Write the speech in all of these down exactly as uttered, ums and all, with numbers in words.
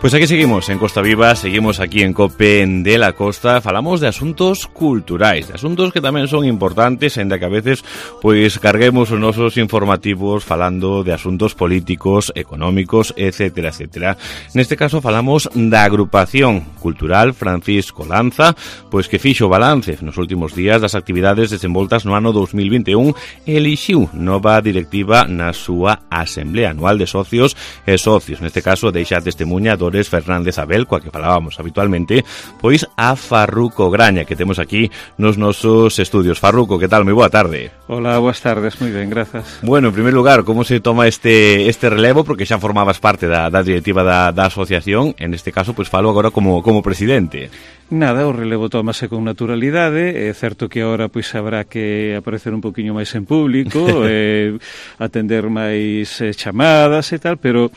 Pois aquí seguimos en Costa Viva, seguimos aquí en COPE de la Costa, falamos de asuntos culturais, de asuntos que tamén son importantes, ainda que a veces pois carguemos os nosos informativos falando de asuntos políticos, económicos, etcétera, etcétera. Neste caso falamos da agrupación cultural Francisco Lanza, pois que fixo balance nos últimos días das actividades desenvoltas no ano dos mil vinte e un e elixiu nova directiva na súa Asamblea Anual de Socios e Socios. Neste caso deixa testemunha do Fernández Abel, coa que falábamos habitualmente, pois a Farruco Graña, que temos aquí nos nosos estudios. Farruco, que tal? Moi boa tarde. Hola, boas tardes, moi ben, grazas. Bueno, en primer lugar, como se toma este este relevo, porque xa formabas parte da, da directiva da, da asociación, en este caso, pois falo agora como, como presidente. Nada, o relevo tómase con naturalidade, é certo que agora pois habrá que aparecer un poquinho máis en público, eh, atender máis eh, chamadas e tal, pero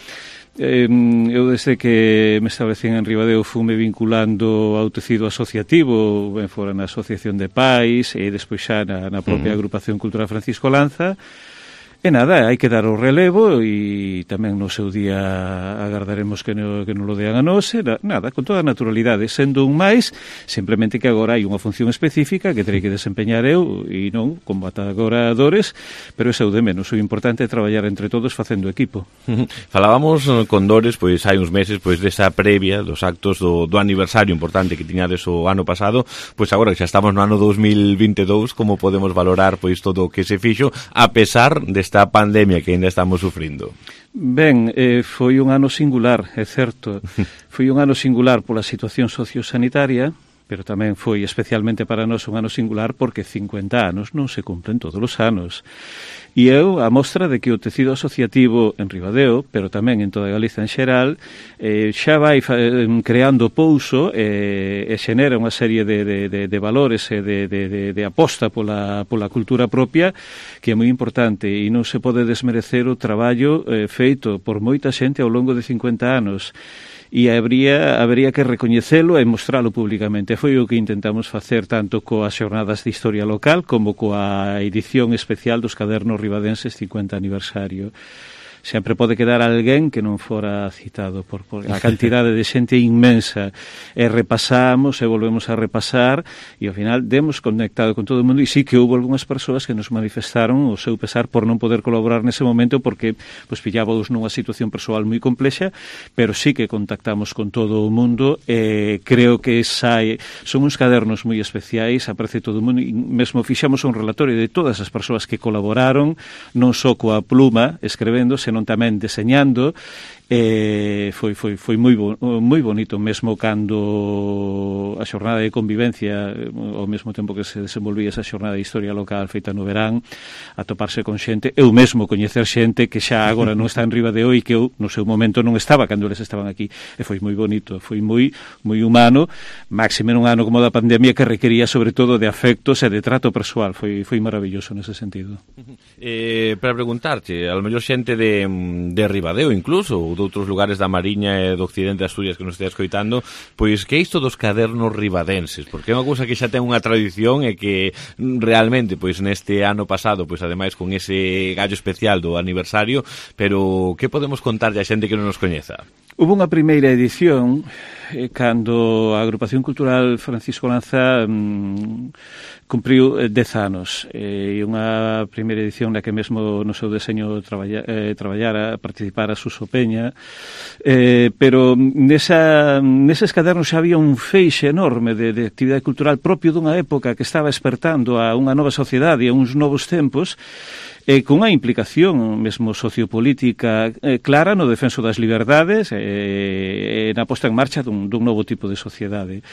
Eh, eu desde que me establecín en Ribadeo fume vinculando ao tecido asociativo, ben fora na Asociación de Pais e despois xa na, na propia uh-huh. Agrupación Cultural Francisco Lanza. E nada, hai que dar o relevo e tamén no seu día agardaremos que, no, que non lo dean a nós. Nada, con toda a naturalidade, sendo un máis, simplemente que agora hai unha función específica que terei que desempeñar eu e non como atagoradores, pero é seu de menos. O importante é traballar entre todos facendo equipo. Falábamos con Dores, pois hai uns meses, pois desa previa dos actos do, do aniversario importante que tiñades o ano pasado, pois agora que xa estamos no ano dos mil vinte e dous, como podemos valorar pois todo o que se fixo, a pesar desta a pandemia que ainda estamos sufrindo? Ben, eh, foi un ano singular, é certo. Foi un ano singular pola situación sociosanitaria, pero tamén foi especialmente para nós un ano singular porque cincuenta anos non se cumplen todos os anos. E eu, a mostra de que o tecido asociativo en Ribadeo, pero tamén en toda Galiza en xeral, eh, xa vai creando pouso eh, e xenera unha serie de, de, de, de valores e de, de, de, de aposta pola, pola cultura propia que é moi importante e non se pode desmerecer o traballo eh, feito por moita xente ao longo de cincuenta anos. E habría, habería que recoñecelo e mostralo públicamente. Foi o que intentamos facer tanto coas xornadas de historia local como coa edición especial dos cadernos ribadenses cincuenta aniversario. Sempre pode quedar alguén que non fora citado por, por a cantidade de xente inmensa e repasamos e volvemos a repasar e ao final demos conectado con todo o mundo e sí que houve algunhas persoas que nos manifestaron o seu pesar por non poder colaborar nese momento porque pues, pillábamos nunha situación persoal moi complexa, pero sí que contactamos con todo o mundo e creo que sai, son uns cadernos moi especiais, aparece todo o mundo e mesmo fixamos un relatorio de todas as persoas que colaboraron, non só coa pluma escrevendo, senón tamén deseñando. Eh, foi, foi, foi moi, bo, moi bonito mesmo cando a xornada de convivencia ao mesmo tempo que se desenvolvía esa xornada de historia local feita no verán, atoparse con xente, eu mesmo coñecer xente que xa agora non está en Ribadeo e que eu no seu momento non estaba cando eles estaban aquí, e foi moi bonito, foi moi, moi humano, máxime nun ano como da pandemia que requería sobre todo de afectos e de trato persoal, foi, foi maravilloso nese sentido. Eh, para preguntarte, a lo mellor xente de, de Ribadeo incluso, ou de outros lugares da Mariña e do occidente de Asturias que nos estea escoitando, pois que é isto dos cadernos ribadenses? Porque é unha cousa que xa ten unha tradición e que realmente, pois neste ano pasado, pois ademais con ese gallo especial do aniversario, pero que podemos contarlle a xente que non nos coñeza? Hubo unha primeira edición eh, cando a Agrupación Cultural Francisco Lanza mm, cumpriu eh, dez anos e eh, unha primeira edición na que mesmo no seu deseño traballa, eh, traballara, participara Suso Peña, eh, pero nesa, neses cadernos xa había un feixe enorme de, de actividade cultural propio dunha época que estaba espertando a unha nova sociedade e a uns novos tempos, e con unha implicación mesmo sociopolítica eh, clara no defenso das liberdades e eh, na posta en marcha dun, dun novo tipo de sociedade.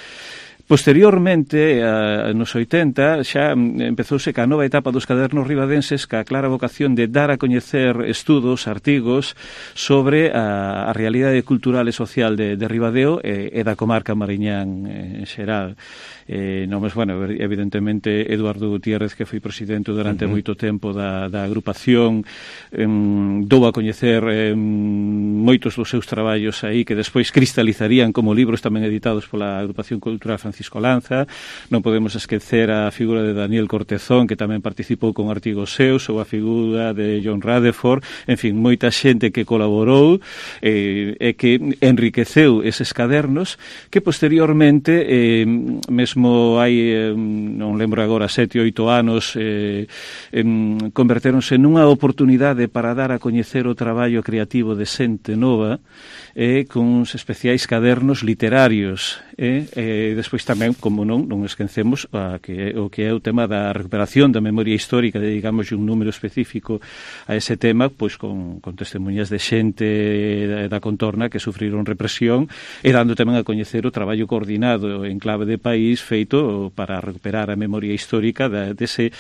Posteriormente, a, nos oitenta, xa empezouse ca nova etapa dos cadernos ribadenses ca clara vocación de dar a coñecer estudos, artigos sobre a, a realidade cultural e social de, de Ribadeo e, e da comarca mariñán en xeral. Eh, non, mas, bueno, evidentemente Eduardo Gutiérrez, que foi presidente durante uh -huh. moito tempo da, da agrupación, eh, dou a coñecer eh, moitos dos seus traballos aí que despois cristalizarían como libros tamén editados pola Agrupación Cultural Francisco Francisco Lanza, non podemos esquecer a figura de Daniel Cortezón, que tamén participou con artigos seus, ou a figura de John Rutherford, en fin, moita xente que colaborou eh, e que enriqueceu eses cadernos que posteriormente, eh, mesmo hai, eh, non lembro agora, sete, oito anos, eh, eh, converteronse nunha oportunidade para dar a coñecer o traballo creativo de xente nova, eh, con uns especiais cadernos literarios, eh, e despois tamén, como non, non esquecemos a que, o que é o tema da recuperación da memoria histórica, dedicamos un número específico a ese tema, pois con, con testemunhas de xente da, da contorna que sufriron represión, e dando tamén a coñecer o traballo coordinado en clave de país feito para recuperar a memoria histórica da, dese,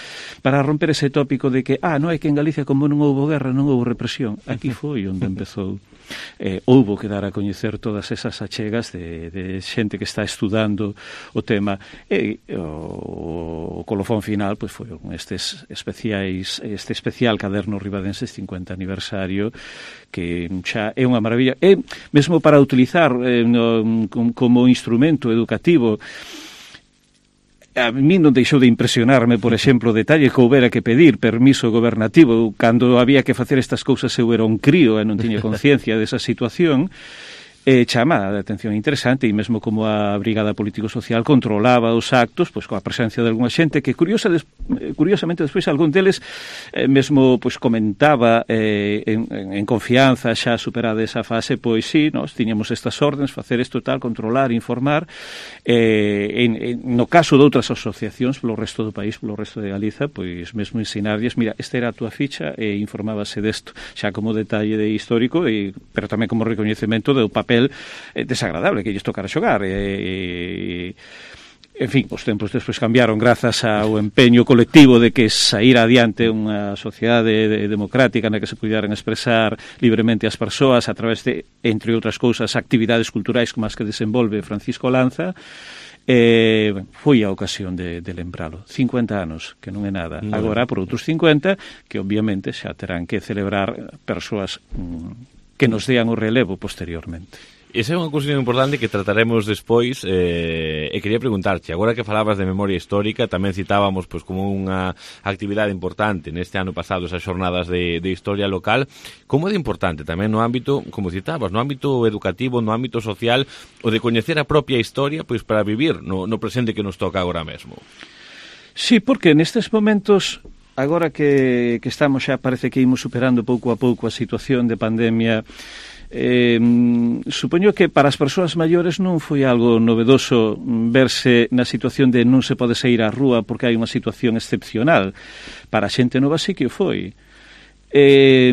para romper ese tópico de que, ah, non é que en Galicia como non houbo guerra, non houbo represión. Aquí foi onde empezou. Eh, houbo que dar a coñecer todas esas achegas de, de xente que está estudando o tema, e o, o colofón final pois foi estes especiais, este especial caderno Ribadenses cincuenta aniversario, que xa é unha maravilla, e mesmo para utilizar eh, no, como instrumento educativo. A mí non deixou de impresionarme, por exemplo, o detalle que houbera que pedir permiso gobernativo. Cando había que facer estas cousas eu era un crío e non tiña conciencia desa situación. E chama a atención interesante, e mesmo como a Brigada Político-Social controlaba os actos, pois coa presencia de algunha xente que curiosa des, curiosamente despois algún deles eh, mesmo pois comentaba eh, en, en confianza, xa superada esa fase, pois sí, nós tiñamos estas órdenes, facer isto tal, controlar, informar, eh, en, en, no caso de outras asociacións polo resto do país, polo resto de Galiza, pois mesmo ensinarlles, mira, esta era a túa ficha, e informábase desto, xa como detalle de histórico, e, pero tamén como recoñecemento do papel desagradable que lles tocara xogar, e, en fin, os tempos despois cambiaron grazas ao empeño colectivo de que saíra adiante unha sociedade democrática na que se puderan expresar libremente as persoas a través de, entre outras cousas, actividades culturais como as que desenvolve Francisco Lanza. Eh, foi a ocasión de, de lembralo. cincuenta anos, que non é nada. No. Agora, por outros cincuenta, que obviamente xa terán que celebrar persoas mm, que nos dean o relevo posteriormente. Esa é unha cuestión importante que trataremos despois, eh, e quería preguntarche, agora que falabas de memoria histórica, tamén citábamos pois como unha actividade importante neste ano pasado, esas xornadas de, de historia local, como é de importante tamén no ámbito, como citabas, no ámbito educativo, no ámbito social, o de coñecer a propia historia pois para vivir no, no presente que nos toca agora mesmo. Sí, porque nestes momentos, agora que, que estamos xa, parece que imos superando pouco a pouco a situación de pandemia, eh, supoño que para as persoas maiores non foi algo novedoso verse na situación de non se pode sair á rúa porque hai unha situación excepcional. Para a xente nova sí que o foi. Eh,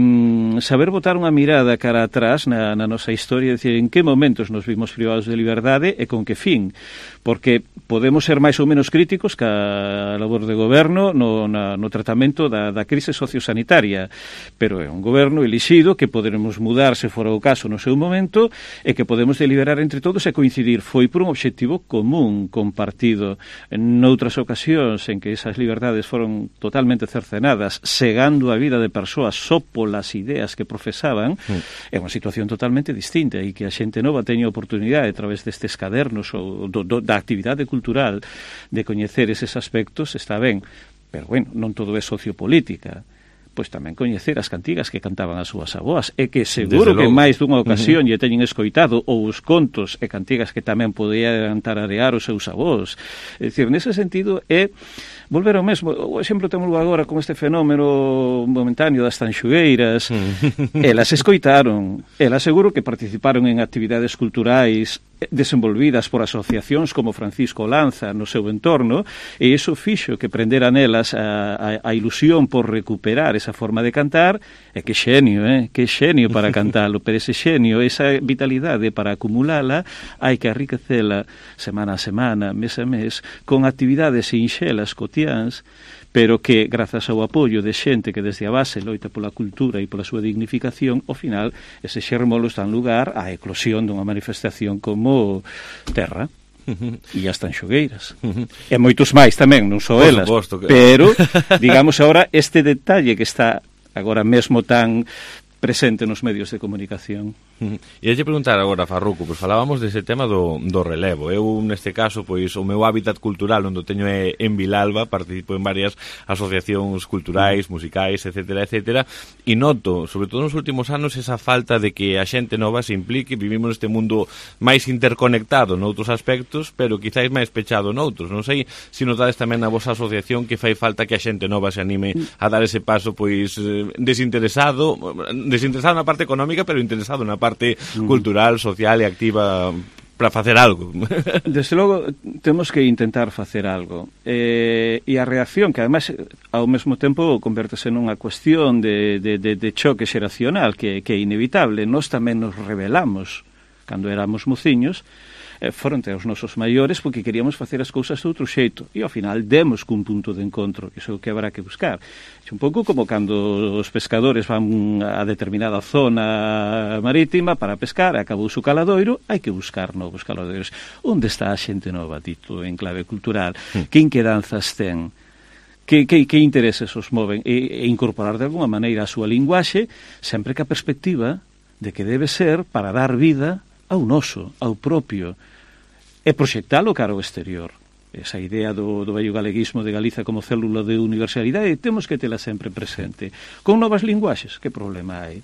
saber botar unha mirada cara atrás na, na nosa historia, decir, en que momentos nos vimos privados de liberdade e con que fin, porque podemos ser máis ou menos críticos ca labor de goberno no, na, no tratamento da, da crise sociosanitaria, pero é un goberno elixido que poderemos mudar se fora o caso no seu momento e que podemos deliberar entre todos e coincidir. Foi por un obxectivo común, compartido. En outras ocasións en que esas liberdades foron totalmente cercenadas, segando a vida de persoas só polas ideas que profesaban, mm. é unha situación totalmente distinta, e que a xente nova teña oportunidade a través destes cadernos ou do, do, da actividade cultural de coñecer eses aspectos, está ben, pero bueno, non todo é sociopolítica. Pois tamén coñecer as cantigas que cantaban as súas avoas, e que seguro que máis dunha ocasión uh-huh. lle teñen escoitado, ou os contos e cantigas que tamén podían tararear os seus avós. É dicir, nese sentido é volver ao mesmo. O exemplo temos agora con este fenómeno momentáneo das tanxugueiras. Elas escoitaron, elas seguro que participaron en actividades culturais desenvolvidas por asociacións como Francisco Lanza no seu entorno, e iso fixo que prendera nelas a, a, a ilusión por recuperar esa forma de cantar. E que xenio, eh? que xenio para cantalo, pero ese xenio, esa vitalidade para acumulala, hai que enriquecela semana a semana, mes a mes, con actividades sinxelas, cotiáns, pero que, grazas ao apoio de xente que desde a base loita pola cultura e pola súa dignificación, ao final, ese xermolos dan lugar á eclosión dunha manifestación como Terra. E as tanxogueiras. E moitos máis tamén, non só elas. Suposto, que... Pero, digamos agora, este detalle que está agora mesmo tan presente nos medios de comunicación. E hai de preguntar agora, Farruco, pois falábamos dese tema do, do relevo. Eu, neste caso, pois o meu hábitat cultural onde teño é en Vilalba, participo en varias asociacións culturais, musicais, etcétera, etcétera, e noto, sobre todo nos últimos anos, esa falta de que a xente nova se implique. Vivimos neste mundo máis interconectado noutros aspectos, pero quizáis máis pechado noutros. Non sei se notades tamén na vosa asociación que fai falta que a xente nova se anime a dar ese paso, pois, desinteresado, desinteresado na parte económica, pero interesado na parte parte cultural, social e activa para facer algo. Desde logo, temos que intentar facer algo. Eh, e a reacción, que además ao mesmo tempo convértese nunha cuestión de, de, de, de choque xeracional, que, que é inevitable. Nós tamén nos rebelamos cando éramos mociños, eh, fronte aos nosos maiores, porque queríamos facer as cousas de outro xeito, e ao final demos cun punto de encontro, que iso é o que habrá que buscar. É un pouco como cando os pescadores van a determinada zona marítima para pescar, acabou o caladoiro, hai que buscar novos caladoiros. Onde está a xente nova, dito en clave cultural? Mm. Que inquedanzas ten? Que, que, que intereses os moven? E, e incorporar de alguma maneira a súa linguaxe, sempre que a perspectiva de que debe ser para dar vida ao noso, ao propio, e proxectalo cara ao exterior. Esa idea do, do vello galeguismo de Galiza como célula de universalidade temos que tela sempre presente. Con novas linguaxes, que problema hai?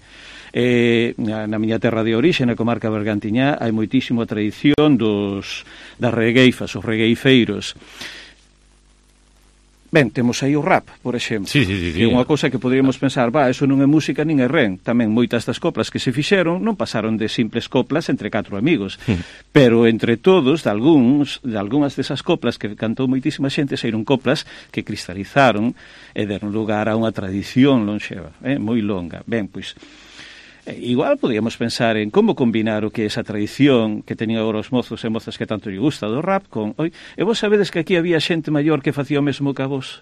Eh, na miña terra de orixe, na comarca bergantiñá, hai moitísima tradición dos, das regueifas, os regueifeiros. Ben, temos aí o rap, por exemplo, sí, sí, sí, sí. Que é unha cousa que poderíamos pensar, va, eso non é música nin é ren. Tamén moitas das coplas que se fixeron non pasaron de simples coplas entre catro amigos, mm. pero entre todos, de algúns, de algunhas desas coplas que cantou moitísima xente, saíron coplas que cristalizaron e deron lugar a unha tradición lonxeva, eh, moi longa. Ben, pois, igual podíamos pensar en como combinar o que é esa tradición que tenían agora os mozos e mozas que tanto lle gusta do rap con... Oi, e vos sabedes que aquí había xente maior que facía o mesmo que a vos?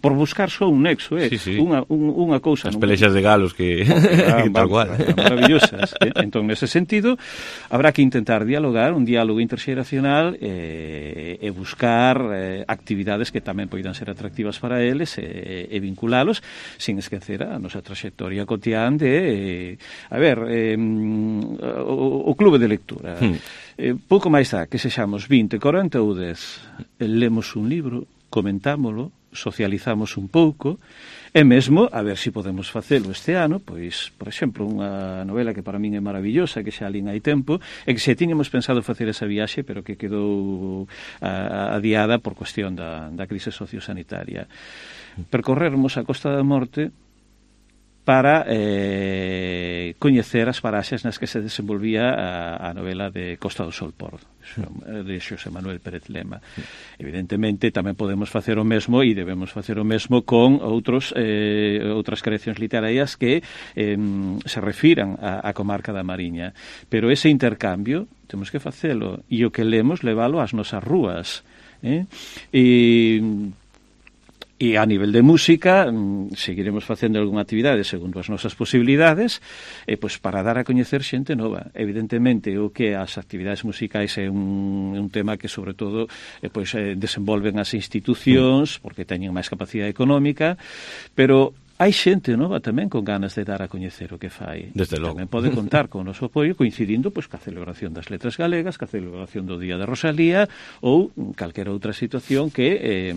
Por buscar só un nexo, eh? Sí, sí. Unha, un, unha cousa... As pelexas de galos que... Ah, que tal cual. Maravillosas. Eh? Entón, nese sentido, habrá que intentar dialogar, un diálogo interxeracional e, e buscar eh, actividades que tamén poidan ser atractivas para eles e, e vinculalos, sin esquecer a nosa trayectoria cotián de... Eh, a ver, eh, o, o clube de lectura. Hmm. Eh, pouco máis dá que sexamos vinte, corenta ou dez. Lemos un libro, comentámolo, socializamos un pouco, e mesmo, a ver se si podemos facelo este ano, pois, por exemplo, unha novela que para min é maravillosa, que xa alín hai tempo, e que se tiñamos pensado facer esa viaxe, pero que quedou a, adiada por cuestión da, da crise sociosanitaria. Percorrermos a Costa da Morte para eh, coñecer as paraxes nas que se desenvolvía a, a novela de Costa do Sol por de Xosé Manuel Pérez Lema. Evidentemente tamén podemos facer o mesmo e debemos facer o mesmo con outros eh, outras creacións literarias que eh, se refiran a, a comarca da Mariña, pero ese intercambio temos que facelo e o que lemos levalo ás nosas rúas, eh? E E a nivel de música, seguiremos facendo algunha actividade segundo as nosas posibilidades, e pois para dar a coñecer xente nova. Evidentemente, o que as actividades musicais é un, un tema que, sobre todo, eh, pois, eh, desenvolven as institucións, porque teñen máis capacidade económica, pero hai xente nova tamén con ganas de dar a coñecer o que fai. Desde logo. Tamén pode contar con o noso apoio coincidindo pois ca celebración das letras galegas, ca celebración do Día de Rosalía ou calquera outra situación que eh,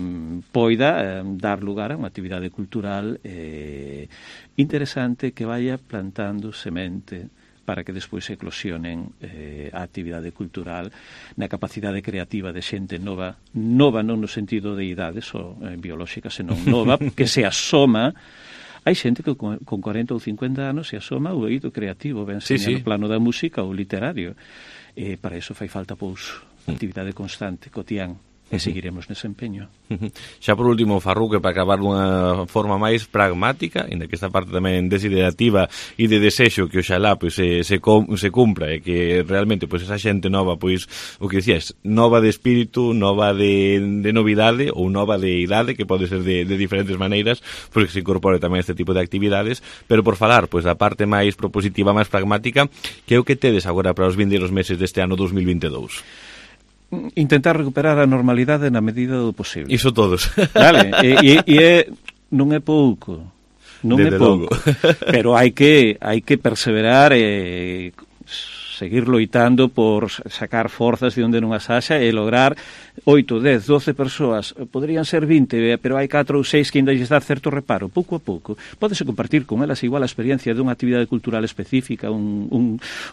poida eh, dar lugar a unha actividade cultural eh, interesante que vaya plantando semente para que despois eclosionen eh, a actividade cultural na capacidade creativa de xente nova, nova non no sentido de idades ou eh, biolóxica, senón nova, que se asoma. Hai xente que con corenta ou cincuenta anos se asoma ao eido creativo, ben sí, sí. no plano da música ou literario. E para iso fai falta, pois, actividade constante, cotián. E seguiremos nese empeño. Xa por último, Farruco, para acabar dunha forma máis pragmática, inda que esta parte tamén desiderativa e de desexo que oxalá pois, se, se, se cumpra e que realmente pois, esa xente nova, pois, o que dicías, nova de espírito, nova de, de novidade ou nova de idade, que pode ser de, de diferentes maneiras, porque se incorpore tamén este tipo de actividades, pero por falar pois, da parte máis propositiva, máis pragmática, que é o que tedes agora para os vindeiros meses deste ano dos mil vinte e dous? Intentar recuperar a normalidade na medida do posible. Iso todos. Vale, e, e, e é, non é pouco. non é pouco. Pero hai que hai que perseverar e seguir loitando por sacar forzas de onde non as haxa e lograr oito, dez, doce persoas, poderían ser vinte, pero hai catro ou seis que ainda lles dá certo reparo, pouco a pouco. Pódese compartir con elas igual a experiencia dunha actividade cultural específica, un, un,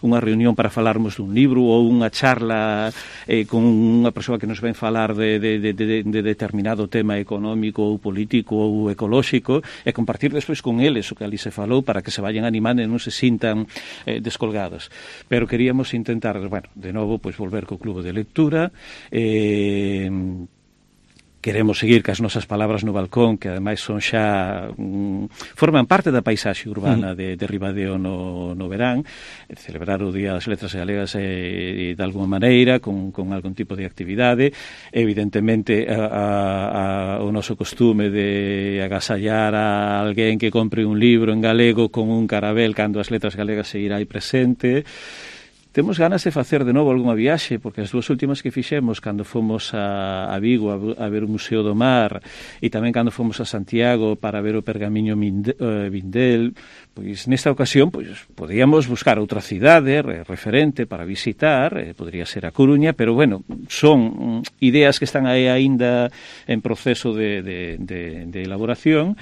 unha reunión para falarmos dun libro ou unha charla eh, con unha persoa que nos ven falar de, de, de, de, de determinado tema económico ou político ou ecolóxico e compartir despois con eles o que ali se falou para que se vayan animando e non se sintan eh, descolgados. Pero queríamos intentar, bueno, de novo, pois volver co clubo de lectura, eh, queremos seguir cas nosas palabras no balcón, que ademais son xa um, forman parte da paisaxe urbana de, de Ribadeo no, no verán, celebrar o Día das Letras Galegas eh, de alguma maneira, con, con algún tipo de actividade, evidentemente a, a, a, o noso costume de agasallar a alguén que compre un libro en galego con un carabel cando as letras galegas se irá aí presente. Temos ganas de facer de novo algunha viaxe, porque as dúas últimas que fixemos, cando fomos a, a Vigo a, a ver o Museo do Mar e tamén cando fomos a Santiago para ver o Pergamiño Minde, uh, Vindel, pois nesta ocasión pois podíamos buscar outra cidade re, referente para visitar, eh, podría ser a Coruña, pero bueno, son um, ideas que están aí aínda en proceso de, de, de, de elaboración.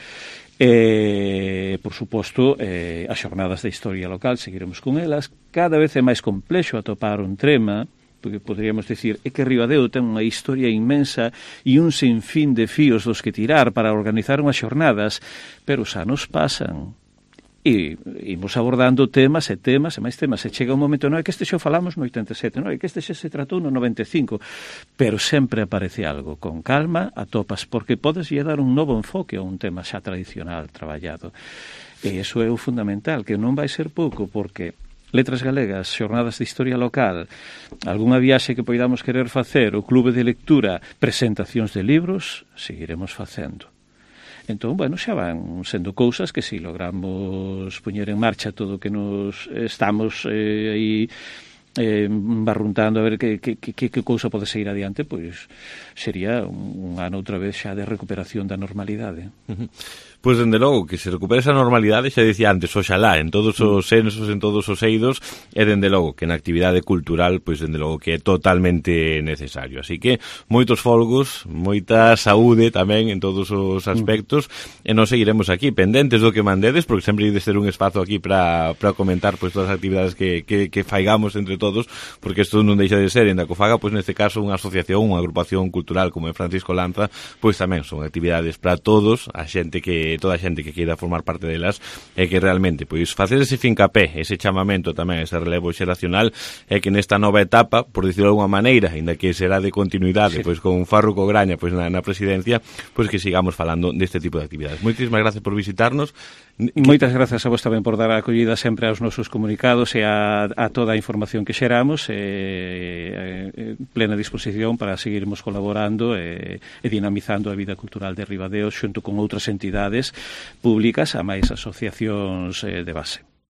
E, por suposto, eh, as xornadas de historia local, seguiremos con elas. Cada vez é máis complexo atopar un tema, porque poderíamos decir é que Ribadeo ten unha historia inmensa e un sinfín de fíos dos que tirar para organizar unhas xornadas, pero os anos pasan. E imos abordando temas e temas e máis temas. E chega un momento, non é que este xo falamos no oitenta e sete, non é que este xa se tratou no noventa e cinco, pero sempre aparece algo. Con calma atopas, porque podes lle dar un novo enfoque a un tema xa tradicional traballado. E iso é o fundamental, que non vai ser pouco, porque Letras Galegas, xornadas de historia local, algunha viaxe que poidamos querer facer, o clube de lectura, presentacións de libros, seguiremos facendo. Entón, bueno, xa van sendo cousas que si logramos poñer en marcha todo o que nos estamos eh, aí eh, barruntando a ver que, que, que, que cousa pode seguir adiante, pois sería un, un ano outra vez xa de recuperación da normalidade. Uh-huh. Pois, dende logo, que se recupere esa normalidade, xa dicía antes, oxalá, en todos os sensos, en todos os eidos, e dende logo, que na actividade cultural, pois, dende logo, que é totalmente necesario. Así que, moitos folgos, moita saúde tamén en todos os aspectos, mm. e nos seguiremos aquí, pendentes do que mandedes, porque sempre hai de ser un espazo aquí para comentar, pois, todas as actividades que, que, que faigamos entre todos, porque isto non deixa de ser, en da Cofaga, pois, neste caso, unha asociación, unha agrupación cultural como é Francisco Lanza, pois tamén son actividades para todos, a xente que toda a xente que queira formar parte delas, e que realmente pois facer ese fincapé, ese chamamento tamén, ese relevo xeracional, é que nesta nova etapa, por dicirlo de alguma maneira, ainda que será de continuidade, sí, pois con Farruco Graña pois na, na presidencia, pois que sigamos falando deste tipo de actividades. Moitísimas gracias por visitarnos. Moitas grazas a vos tamén por dar a acollida sempre aos nosos comunicados e a, a toda a información que xeramos, e, e, e plena disposición para seguirmos colaborando e, e dinamizando a vida cultural de Ribadeo xunto con outras entidades públicas a máis asociacións eh, de base.